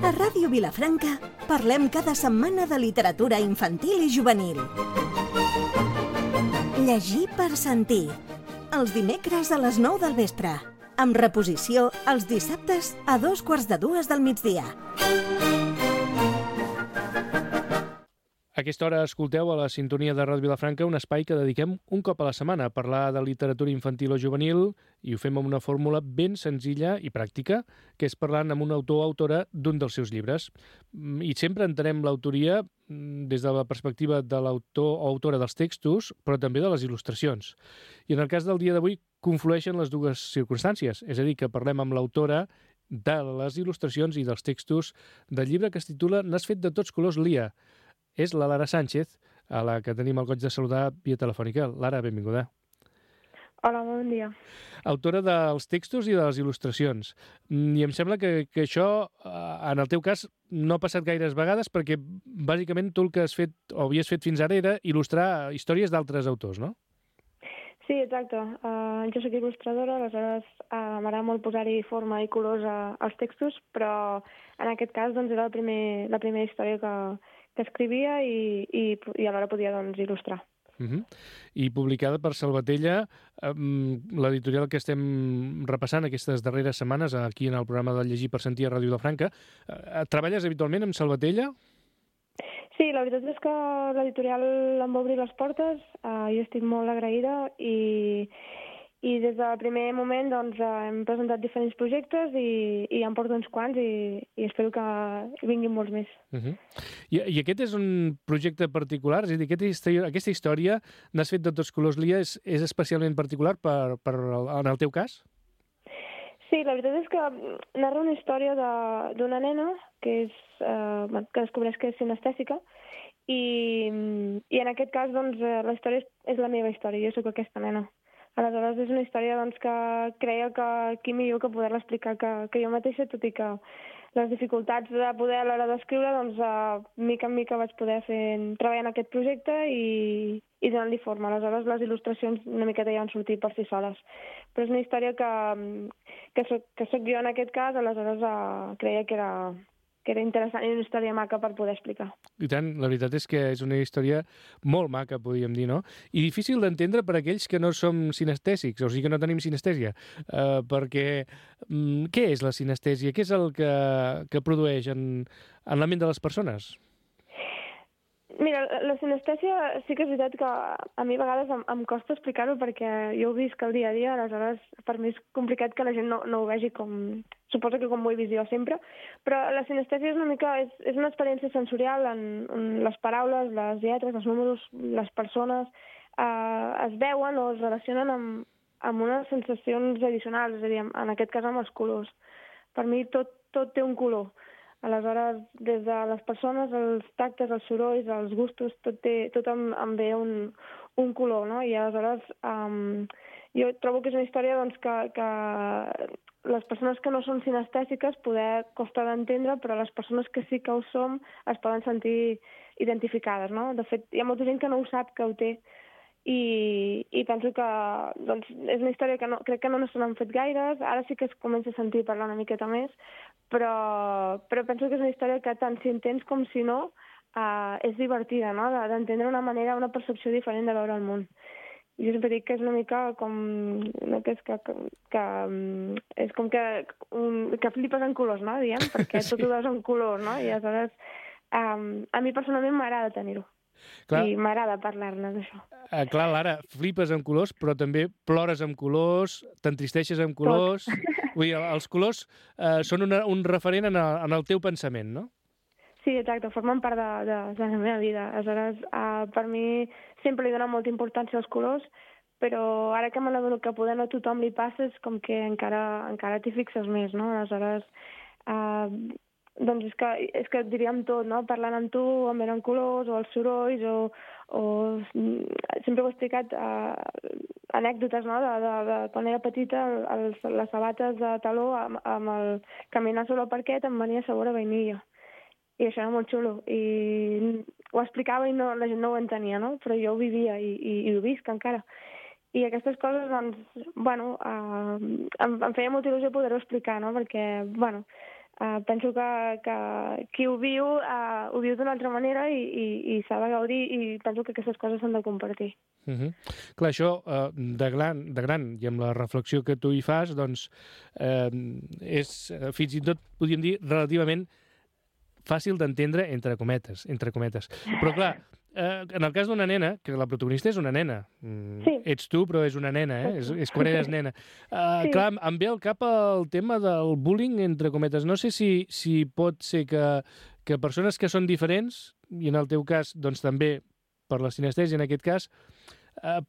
A Ràdio Vilafranca parlem cada setmana de literatura infantil i juvenil. Llegir per sentir. Els dimecres a les 9 del vespre. Amb reposició els dissabtes a 2:45 del migdia. A aquesta hora escolteu a la sintonia de Ràdio Vilafranca un espai que dediquem un cop a la setmana a parlar de literatura infantil o juvenil, i ho fem amb una fórmula ben senzilla i pràctica, que és parlant amb un autor o autora d'un dels seus llibres. I sempre entenem l'autoria des de la perspectiva de l'autor o autora dels textos, però també de les il·lustracions. I en el cas del dia d'avui conflueixen les dues circumstàncies, és a dir, que parlem amb l'autora de les il·lustracions i dels textos del llibre que es titula N'has fet de tots colors, Lia. És la Lara Sánchez, a la que tenim el goig de saludar via telefònica. Lara, benvinguda. Hola, bon dia. Autora dels textos i de les il·lustracions. I em sembla que això, en el teu cas, no ha passat gaires vegades, perquè bàsicament tu el que has fet o havies fet fins ara era il·lustrar històries d'altres autors, no? Sí, exacte. Jo soc il·lustradora, aleshores m'agrada molt posar-hi forma i colors als textos, però en aquest cas doncs, era la primera història que escrivia i alhora podia il·lustrar. I publicada per Salvatella, l'editorial que estem repassant aquestes darreres setmanes aquí en el programa de Llegir per Sentir a Ràdio Vilafranca. Treballes habitualment amb Salvatella? Sí, la veritat és que l'editorial em va obrir les portes, jo estic molt agraïda i des del primer moment hem presentat diferents projectes i em porto uns quants i espero que vinguin molts més. I aquest és un projecte particular? És a dir, aquesta història N'has fet de tots colors, Lia, és especialment particular en el teu cas? Sí, la veritat és que narra una història d'una nena que descobreix que és sinestèsica i en aquest cas la història és la meva història, jo sóc aquesta nena. Aleshores és una història que creia que qui millor que poder-la explicar que jo mateixa, tot i que les dificultats de poder a l'hora d'escriure, mica en mica vaig poder treballar en aquest projecte i donar-li forma. Aleshores les il·lustracions una miqueta ja van sortir per si soles. Però és una història que soc jo en aquest cas, aleshores creia que era interessant i una història maca per poder explicar. I tant, la veritat és que és una història molt maca, podríem dir, no? I difícil d'entendre per aquells que no som sinestèsics, o sigui que no tenim sinestèsia, perquè què és la sinestèsia? Què és el que produeix en la ment de les persones? Mira, la sinestèsia sí que és veritat que a mi a vegades em costa explicar-ho perquè jo ho visc el dia a dia, aleshores per mi és complicat que la gent no ho vegi com... Suposo que com ho he vist jo sempre, però la sinestèsia és una experiència sensorial en les paraules, les lletres, els números, les persones es veuen o es relacionen amb unes sensacions addicionals, és a dir, en aquest cas amb els colors. Per mi tot té un color. Aleshores, des de les persones, els tactes, els sorolls, els gustos, tot em ve un color, no? I aleshores jo trobo que és una història que les persones que no són sinestèsiques poder costa d'entendre, però les persones que sí que ho som es poden sentir identificades, no? De fet, hi ha molta gent que no ho sap que ho té i penso que és una història que crec que no se n'han fet gaires, ara sí que es comença a sentir parlar una miqueta més, però penso que és una història que tant si entens com si no és divertida, no? D'entendre una manera, una percepció diferent de veure el món. Jo sempre dic que és una mica com... és com que flipes en colors, no? Diem, perquè tot ho veus en colors, no? I aleshores a mi personalment m'agrada tenir-ho. Clar. I m'agrada parlar-ne d'això. Clar, Lara, flipes amb colors, però també plores amb colors, t'entristeixes amb colors... Vull dir, els colors són un referent en el teu pensament, no? Sí, exacte, formen part de la meva vida. Aleshores, per mi sempre li dono molta importància als colors, però ara que me n'adono que poder no a tothom li passa, és com que encara t'hi fixes més, no? Aleshores, doncs és que diríem tot, no? Parlant amb tu, em venen colors, o els sorolls, o sempre ho he explicat, anècdotes, no? De quan era petita, les sabates de taló, amb el caminar sobre el parquet, em venia sabor a vainilla. I això era molt xulo. I ho explicava i la gent no ho entenia, no? Però jo ho vivia i ho visc encara. I aquestes coses, doncs, bueno, em feia molta il·lusió poder-ho explicar, no? Perquè, bueno, penso que qui ho viu d'una altra manera i s'ha de gaudir, i penso que aquestes coses s'han de compartir. Clar, això de gran, i amb la reflexió que tu hi fas, doncs és fins i tot, podríem dir, relativament fàcil d'entendre, entre cometes. Però clar, en el cas d'una nena, que la protagonista és una nena, Sí. Ets tu, però és una nena, és quan eres nena. Sí. Clar, em ve al cap el tema del bullying, entre cometes. No sé si pot ser que persones que són diferents, i en el teu cas, doncs també per la sinestèsia en aquest cas,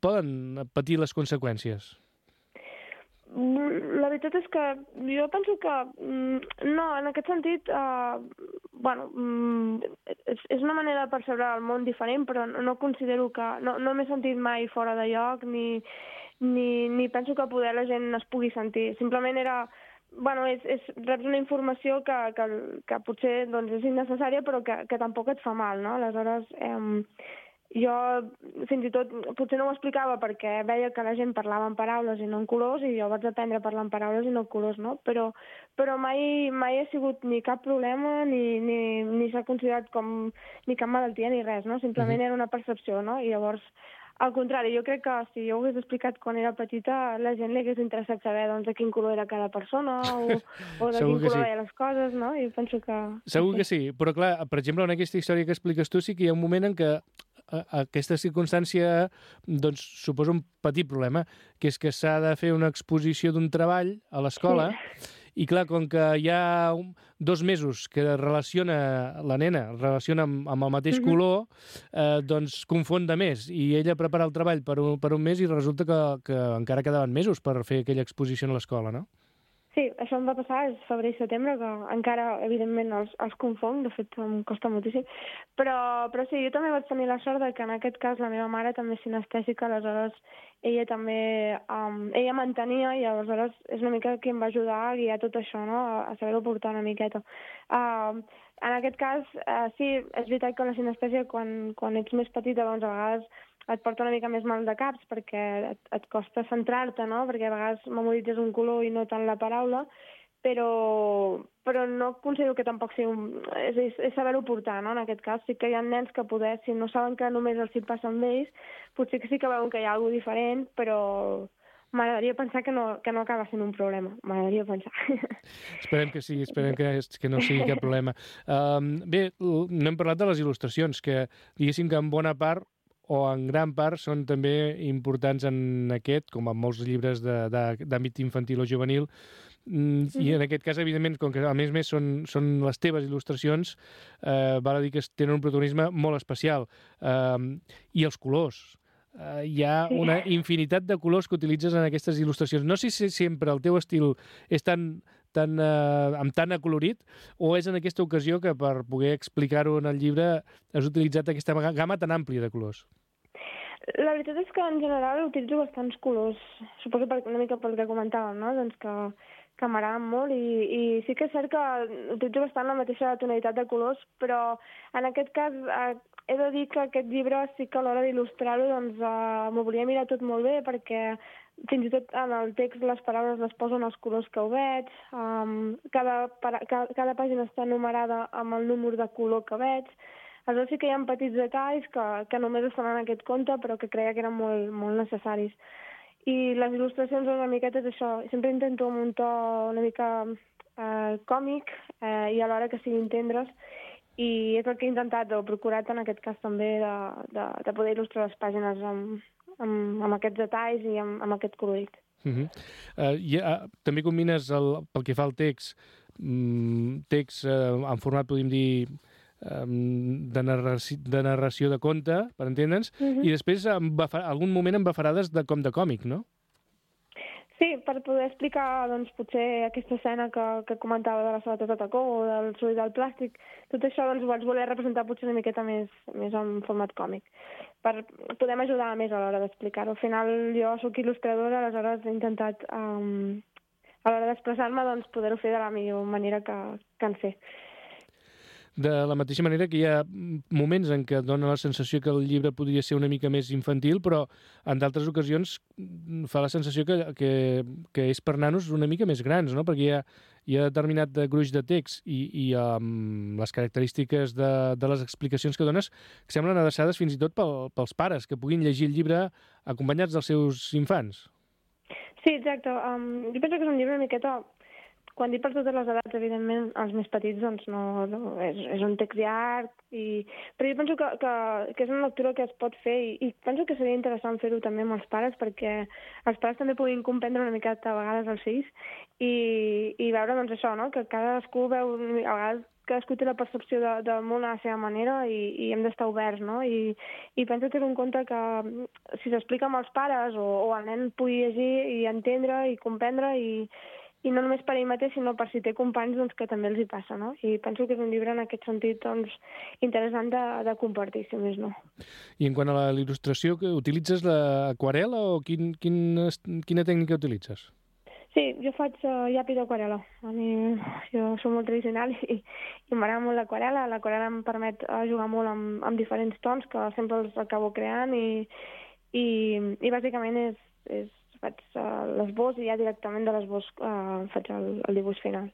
poden patir les conseqüències. La veritat és que jo penso que no, en aquest sentit, bueno, és una manera de percebre el món diferent, però no considero que... No m'he sentit mai fora de lloc, ni penso que poder la gent es pugui sentir. Simplement era... Bueno, reps una informació que potser doncs, és innecessària, però que tampoc et fa mal, no? Aleshores, jo fins i tot potser no ho explicava perquè veia que la gent parlava en paraules i no en colors, i jo vaig aprendre a parlar en paraules i no en colors, no? Però mai ha sigut ni cap problema, ni s'ha considerat com ni cap malaltia ni res, no? Simplement era una percepció, no? I llavors, al contrari, jo crec que si jo ho hagués explicat quan era petita, la gent li hagués interessat saber doncs, de quin color era cada persona o de quin color veia les coses, no? I penso que... Segur que sí, però clar, per exemple, en aquesta història que expliques tu sí que hi ha un moment en què aquesta circumstància doncs, suposa un petit problema, que és que s'ha de fer una exposició d'un treball a l'escola, i clar, com que hi ha 2 mesos que la nena relaciona amb el mateix color, doncs confon de més, i ella prepara el treball per un mes i resulta que encara quedaven mesos per fer aquella exposició a l'escola, no? Sí, això em va passar, és febrer i setembre, que encara, evidentment, els confong, de fet em costa moltíssim, però sí, jo també vaig tenir la sort de que en aquest cas la meva mare també és sinestèsica, aleshores ella també, ella m'entenia, i aleshores és una mica qui em va ajudar a guiar tot això, no?, a saber-ho portar una miqueta. En aquest cas, sí, és veritat que la sinestèsia, quan ets més petita, doncs a vegades et porta una mica més mal de caps perquè et costa centrar-te, no? Perquè a vegades memoritzes un color i no tant la paraula, però no considero que tampoc sigui és saber-ho portar, no? En aquest cas sí que hi ha nens que poder, si no saben que només els hi passa amb ells, potser que sí que veuen que hi ha alguna diferent, però m'agradaria pensar que no acaba sent un problema. M'agradaria pensar. Esperem que sí, esperem que no sigui cap problema. Bé, no hem parlat de les il·lustracions, que diguéssim que en bona part o en gran part són també importants en aquest, com en molts llibres d'àmbit infantil o juvenil, i en aquest cas, evidentment, com que a més són les teves il·lustracions, val a dir que tenen un protagonisme molt especial. I els colors. Hi ha una infinitat de colors que utilitzes en aquestes il·lustracions. No sé si sempre el teu estil és amb tant acolorit, o és en aquesta ocasió que per poder explicar-ho en el llibre has utilitzat aquesta gamma tan àmplia de colors? La veritat és que en general utilitzo bastants colors, suposo una mica pel que comentàvem, no? Doncs que m'agraden molt, i sí que és cert que utilitzo bastant la mateixa tonalitat de colors, però en aquest cas he de dir que aquest llibre sí que a l'hora d'il·lustrar-ho doncs m'ho volia mirar tot molt bé, perquè fins i tot en el text les paraules les poso en els colors que ho veig, cada pàgina està numerada amb el número de color que veig. Aleshores sí que hi ha petits detalls que només estan en aquest conte, però que creia que eren molt, molt necessaris. I les il·lustracions una miqueta és això. Sempre intento amb un to una mica còmic i alhora que siguin tendres, i és el que he intentat o procurat en aquest cas també de poder il·lustrar les pàgines amb aquests detalls i amb aquest colorit. També combines, pel que fa al text en format, podríem dir, de narració de conte, per entendre'ns, i després algun moment amb bafarades com de còmic, no? Sí, per poder explicar doncs, potser aquesta escena que comentava de la sabata de tacó o del soroll del plàstic, tot això doncs, ho vaig voler representar potser una miqueta més en format còmic, per poder ajudar més a l'hora d'explicar-ho. Al final jo sóc il·lustradora, aleshores he intentat a l'hora d'expressar-me doncs, poder-ho fer de la millor manera que en sé. de la mateixa manera que hi ha moments en què dona la sensació que el llibre podria ser una mica més infantil, però en d'altres ocasions fa la sensació que és per nanos una mica més grans, no? Perquè hi ha determinat gruix de text i les característiques de les explicacions que dones que semblen adreçades fins i tot pels pares, que puguin llegir el llibre acompanyats dels seus infants. Sí, exacte. Jo penso que és un llibre una miqueta... Quan dic per totes les edats, evidentment, els més petits, doncs no és un text llarg, però jo penso que és una lectura que es pot fer i penso que seria interessant fer-ho també amb els pares perquè els pares també puguin comprendre una miqueta a vegades els fills i veure, doncs, això, no? Que cadascú veu... A vegades cadascú té la percepció del món a la seva manera i hem d'estar oberts, no? I penso que és un conte que si s'explica amb els pares o el nen pugui llegir i entendre i comprendre i no només per ell mateix, sinó per si té companys doncs, que també els hi passa, no? I penso que és un llibre en aquest sentit doncs, interessant de compartir, si més no. I en quant a l'il·lustració, utilitzes l'aquarel·la o quina tècnica utilitzes? Sí, jo faig llapis d'aquarel·la. Jo soc molt tradicional i m'agrada molt l'aquarel·la. L'aquarel·la em permet jugar molt amb diferents tons que sempre els acabo creant i bàsicament faig l'esbós i ja directament de l'esbós faig el dibuix final.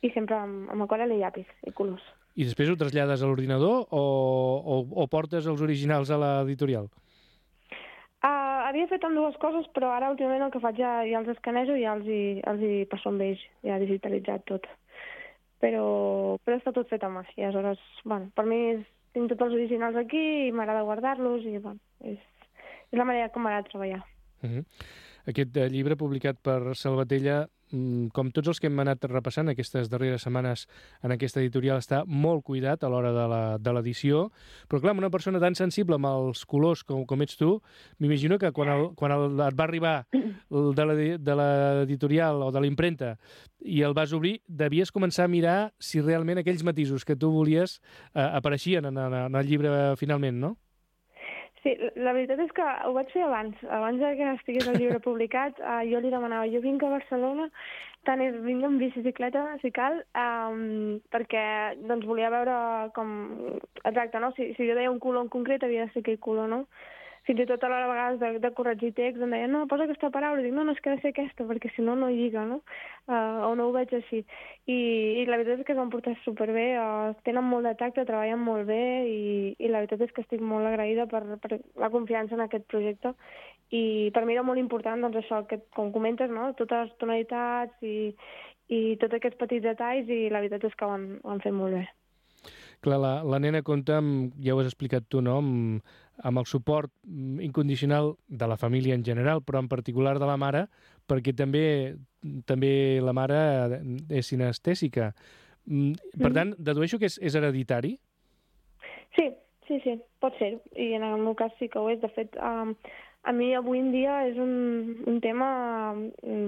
I sempre amb aquarel·la i llapis i colors. I després ho trasllades a l'ordinador o portes els originals a l'editorial? Havia fet amb dues coses, però ara últimament el que faig ja els escanejo i ja els hi passo amb ells, ja digitalitzat tot. Però està tot fet a mà. I aleshores, bueno, per mi tinc tots els originals aquí i m'agrada guardar-los i bueno, és la manera com m'agrada treballar. Aquest llibre publicat per Salvatella, com tots els que hem anat repassant aquestes darreres setmanes en aquesta editorial, està molt cuidat a l'hora de l'edició, però clar, una persona tan sensible amb els colors com ets tu, m'imagino que quan et va arribar de l'editorial o de la impremta i el vas obrir, devies començar a mirar si realment aquells matisos que tu volies apareixien en el llibre finalment, no? Sí, la veritat és que ho vaig fer abans que estigués el llibre publicat. Jo li demanava, jo vinc a Barcelona, tant és vinc amb bicicleta, si cal, perquè doncs, volia veure com... Exacte, no? Si jo deia un color en concret, havia de ser aquell color, no? Fins i tot a l'hora a vegades de corregir text em deien, no, posa aquesta paraula. I dic, no, és que ha de ser aquesta, perquè si no, no lliga, no? O no ho veig així. I la veritat és que es van portar superbé, tenen molt de tacte, treballen molt bé i la veritat és que estic molt agraïda per la confiança en aquest projecte. I per mi era molt important, doncs això, que, com comentes, no? Totes les tonalitats i tots aquests petits detalls i la veritat és que ho han fet molt bé. Clar, la nena compta, ja ho has explicat tu, no?, amb el suport incondicional de la família en general, però en particular de la mare, perquè també la mare és sinestèsica. Per tant, dedueixo que és hereditari? Sí, pot ser. I en el meu cas sí que ho és. De fet, a mi avui en dia és un tema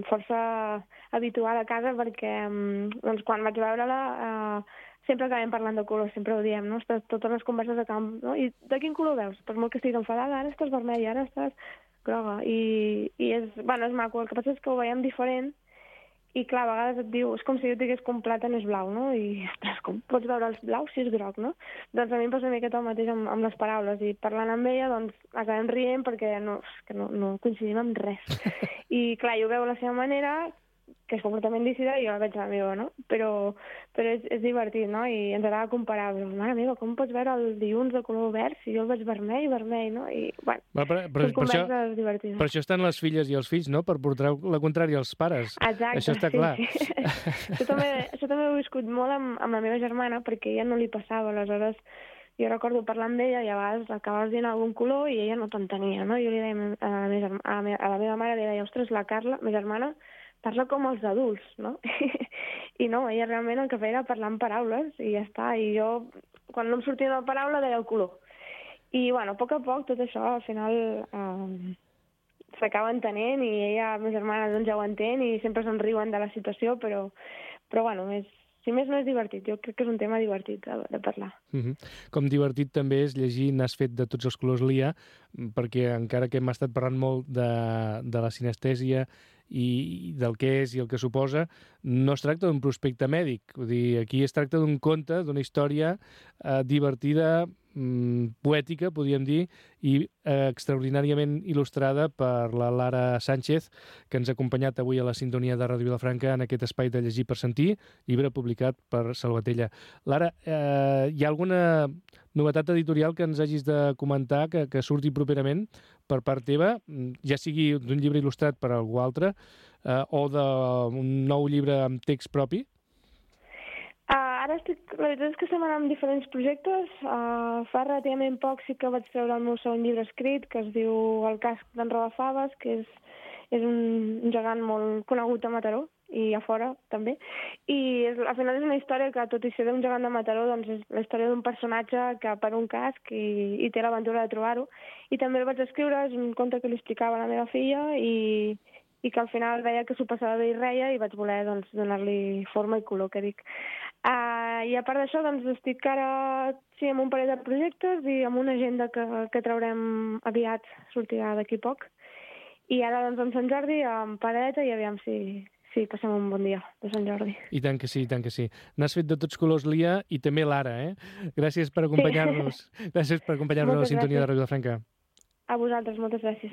força habitual a casa perquè doncs, quan vaig veure-la sempre acabem parlant de colors, sempre ho diem, no? Totes les converses acaben, no? I de quin color veus? Per molt que estiguis enfadada, ara estàs vermella, ara estàs groga. I és maco. El que passa és que ho veiem diferent i, clar, a vegades et diu, és com si jo digués que un plàtan és blau, no? I, ostres, com pots veure els blaus si és groc, no? Doncs a mi em passa una miqueta el mateix amb les paraules i parlant amb ella, doncs, acabem rient perquè no coincidim en res. I, clar, jo ho veu a la seva manera, que és completament lícita i jo la veig a la meva, no? Però és divertit, no? I ens agrada comparar. Mare meva, com pots veure el dilluns de color verd si jo el veig vermell, no? I, bueno, són converses divertides. Per això estan les filles i els fills, no? Per portar la contrària als pares. Exacte, això està clar. Sí. Això també ho he viscut molt amb la meva germana, perquè ella no li passava. Aleshores, jo recordo parlar amb ella i a vegades acabaves dient algun color i ella no t'entenia, no? Jo li deia a la meva mare, li deia, ostres, la Carla, ma germana, parla com els adults, no? I no, ella realment el que feia era parlar en paraules i ja està. I jo, quan no em sortia una paraula, deia el color. I, bueno, a poc tot això, al final, s'acaba entenent i ella, ma germana, doncs ja ho entén i sempre se'n riuen de la situació, però bueno, si més no és divertit. Jo crec que és un tema divertit de parlar. Com divertit també és llegir N'has fet de tots els colors, Lia, perquè encara que hem estat parlant molt de la sinestèsia i del què és i el que suposa, no es tracta d'un prospecte mèdic. Vull dir, aquí es tracta d'un conte, d'una història divertida, poètica, podríem dir, i extraordinàriament il·lustrada per la Lara Sánchez, que ens ha acompanyat avui a la sintonia de Ràdio Vilafranca en aquest espai de Llegir per Sentir, llibre publicat per Salvatella. Lara, hi ha alguna novetat editorial que ens hagis de comentar que surti properament per part teva, ja sigui d'un llibre il·lustrat per algú altre o d'un nou llibre amb text propi? Ara la veritat és que estem anant amb diferents projectes. Fa relativament poc sí que vaig treure el meu segon llibre escrit, que es diu El casc d'en Rodafaves, que és un gegant molt conegut a Mataró i a fora també. I al final és una història que, tot i ser d'un gegant de Mataró, doncs és la història d'un personatge que per un casc i té l'aventura de trobar-ho. I també el vaig escriure, és un conte que li explicava a la meva filla i que al final veia que s'ho passava bé i reia i vaig voler donar-li forma i color, que dic. I a part d'això, doncs, estic ara amb un parell de projectes i amb una agenda que traurem aviat, sortirà d'aquí poc. I ara, doncs, en Sant Jordi, amb pareta, i aviam si passem un bon dia de Sant Jordi. I tant que sí, i tant que sí. N'has fet de tots colors, Lia, i també Lara, Gràcies per acompanyar-nos. Sí. Gràcies per acompanyar-nos a la sintonia de Ràdio Vilafranca. A vosaltres, moltes gràcies.